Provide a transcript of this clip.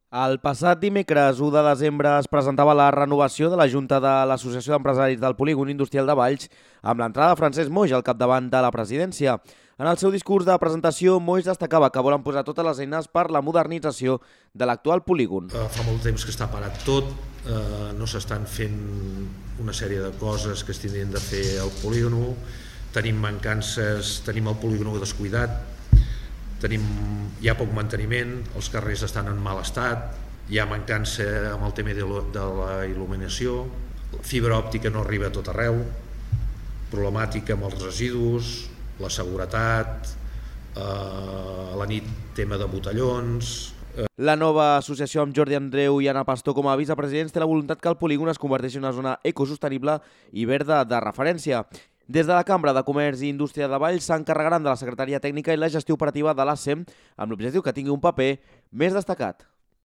El passat dimecres 1 de desembre es presentava la renovació de la Junta de l'Associació d'Empresaris del Polígon Industrial de Valls amb l'entrada de Francesc Moix al capdavant de la presidència. En el seu discurs de presentació, Moix destacava que volen posar totes les eines per la modernització de l'actual polígon. Fa molt temps que està parat tot, no s'estan fent una sèrie de coses que es tindrien de fer al polígon, tenim mancances, tenim el polígon descuidat, hi ha poc manteniment, els carrers estan en mal estat, hi ha mancança amb el tema de la il·luminació, la fibra òptica no arriba a tot arreu, problemàtica amb els residus, la seguretat, a la nit tema de botellons. La nova associació amb Jordi Andreu i Anna Pastor com a vicepresidents té la voluntat que el polígon es converteixi en una zona ecosostenible i verda de referència. Des de la Cambra de Comerç i Indústria de Valls s'encarregaran de la secretaria tècnica i la gestió operativa de l'ASEM amb l'objectiu que tingui un paper més destacat.